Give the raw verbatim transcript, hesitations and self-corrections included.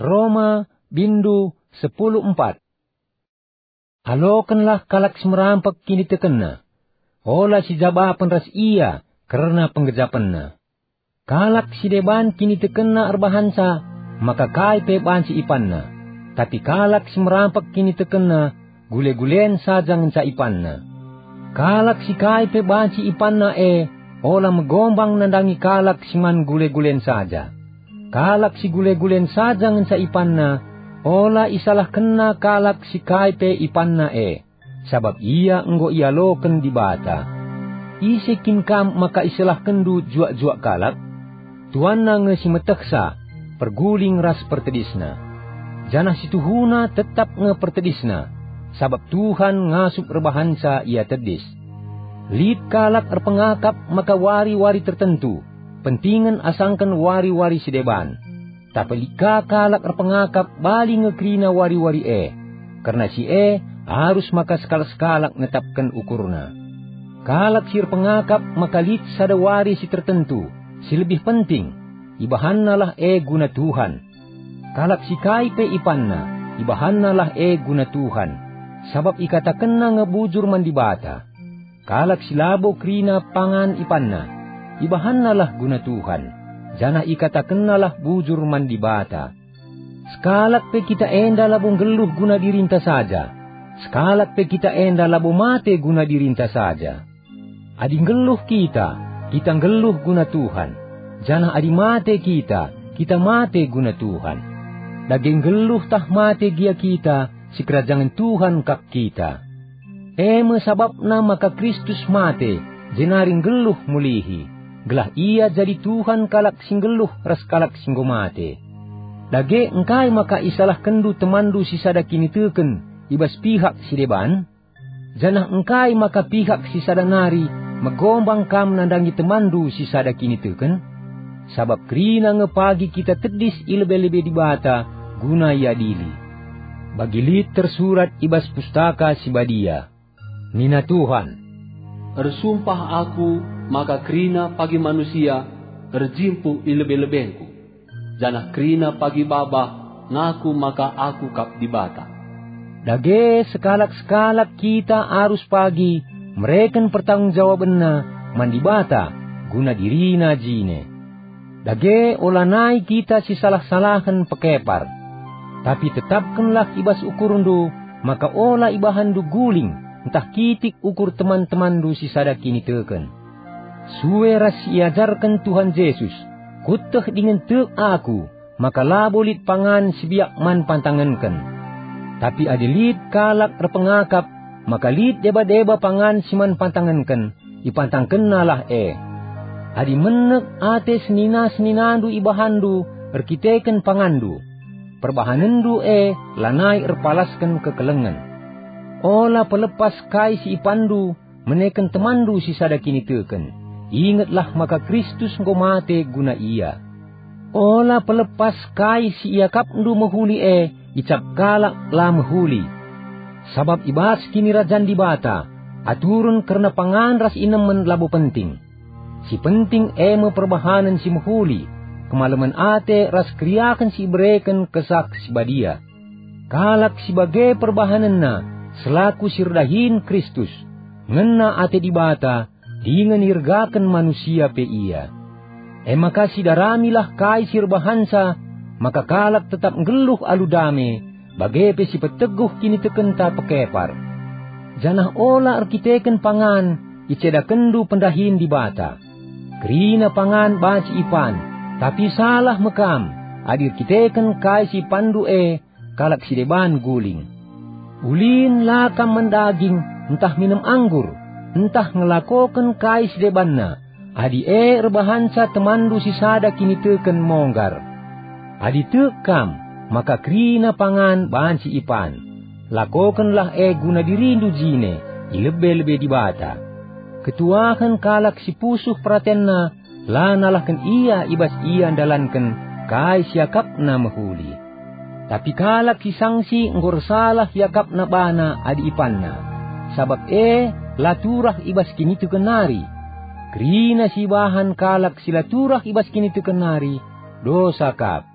Roma, bindu sepuluh empat. Alokenlah kalak si merampek kinitekenna. Ola sijabapen ras ia kerna penggejapenna. Kalak si deban kinitekenna erbahanca maka kai pe banci ipanna, tapi kalak si merampek kinitekenna gule-gulen saja ngenca ipanna. Kalak si kai pe banci ipanna e ola megombang nandangi kalak si man gule-gulen saja. Kalak si gule-gulen saja ngenca ipanna, ola isalahkenna kalak si kai pe ipanna e, sabap ia enggo ialoken Dibata. Ise kin kam maka isalahkenndu juak-juak kalak? Tuanna nge si metehsa, perguling ras pertedisna. Janah si tuhuna tetap nge pertedisna, sabap Tuhan ngasup erbahanca ia tedis. Lit kalak erpengakap maka wari-wari tertentu, pentingen asangken wari-wari si deban. Tapi lit ka kalak erpengakap bali nge kerina wari-wari e, kerna si e arus maka sekalak-sekalak netapken ukurna. Kalak si erpengakap maka lit sada wari si tertentu, si lebih penting, ibahannalah e guna Tuhan. Kalak si kai pe ipanna, ibahannalah e guna Tuhan, sabap ikatakenna nge bujur man Dibata. Kalak si labo kerina pangan ipanna, ibahannalah guna Tuhan, janah ikatakennalah bujur man Dibata. Sekalak pe kita enda labo nggeluh guna dirinta saja, sekalak pe kita enda labo mate guna dirinta saja. Adi nggeluh kita, kita nggeluh guna Tuhan, janah adi mate kita, kita mate guna Tuhan. Dage nggeluh tah mate gia kita, sikerajangen Tuhan kap kita. E me sabapna maka Kristus mate, jenari nggeluh mulihi, gelah ia jadi Tuhan kalak si nggeluh ras kalak si enggo mate. Dage engkai maka isalahkenndu temanndu si sada kiniteken i bas pihak si deban? Janah engkai maka pihak si sada nari megombang kam nandangi temanndu si sada kiniteken? Sabap kerina nge pagi kita tedis i lebe-lebe Dibata guna iadili. Bagi lit tersurat i bas Pustaka Si Badia, nina Tuhan, "Ersumpah Aku maka kerina pagi manusia erjimpuh i lebe-lebengKu, janah kerina pagi babah ngaku maka Aku kap Dibata." Dage sekalak-sekalak kita arus pagi mereken pertanggung jawabenna man Dibata guna dirina jine. Dage olanai kita sisalah-salahen pekepar. Tapi tetapkenlah i bas ukurndu maka ola ibahanndu guling ntah kitik ukur teman-temanndu si sada kiniteken. Sue ras si iajarken Tuhan Jesus, kueteh dingen tek aku maka labo lit pangan si biak man pantangenken. Tapi adi lit kalak erpengakap maka lit deba-deba pangan si man pantangenken, ipantangkennalah e. Adi menek ate senina-seninandu ibahanndu erkiteken panganndu, perbahanenndu e lanai erpalasken kekelengen. Ola pelepas kai si ipanndu meneken temanndu si sada kiniteken. Ingetlah maka Kristus enggo mate guna ia. Ola pelepas kai si iakapndu mehuli e icap kalak la mehuli. Sabap i bas Kinirajan Dibata, aturen kerna pangan ras inemen labo penting. Si penting e me perbahanen si mehuli, kemalemen ate ras keriahen si ibereken Kesah Si Badia. Kalak si bage perbahanenna selaku si erdahin Kristus, ngena ate Dibata, dingen iergaken manusia pe ia. E maka sidaramilah kai si erbahanca, maka kalak tetap nggeluh alu dame, bage pe si peteguh kinitekenta pekepar. Janah ola erkiteken pangan icedakenndu pendahin Dibata. Kerina pangan banci ipan, tapi salah me kam adi erkiteken kai si ipanndu e kalak si deban guling. Ulin la kam man daging, ntah minem anggur, ntah ngelakoken kai si debanna, adi e erbahanca temanndu si sada kiniteken monggar. Adi tek kam, maka kerina pangan banci ipan. Lakokenlah e guna dirindu jine, i lebe-lebe Dibata. Ketuahen kalak si pusuh peratenna la nalahken ia i bas ia ndalanken kai si akapna mehuli. Tapi kalak si sangsi enggo ersalah iakapna bana adi ipanna, sabap e la turah i bas kiniteken nari. Kerina si ibahan kalak si la turah i bas kiniteken nari, dosa kap.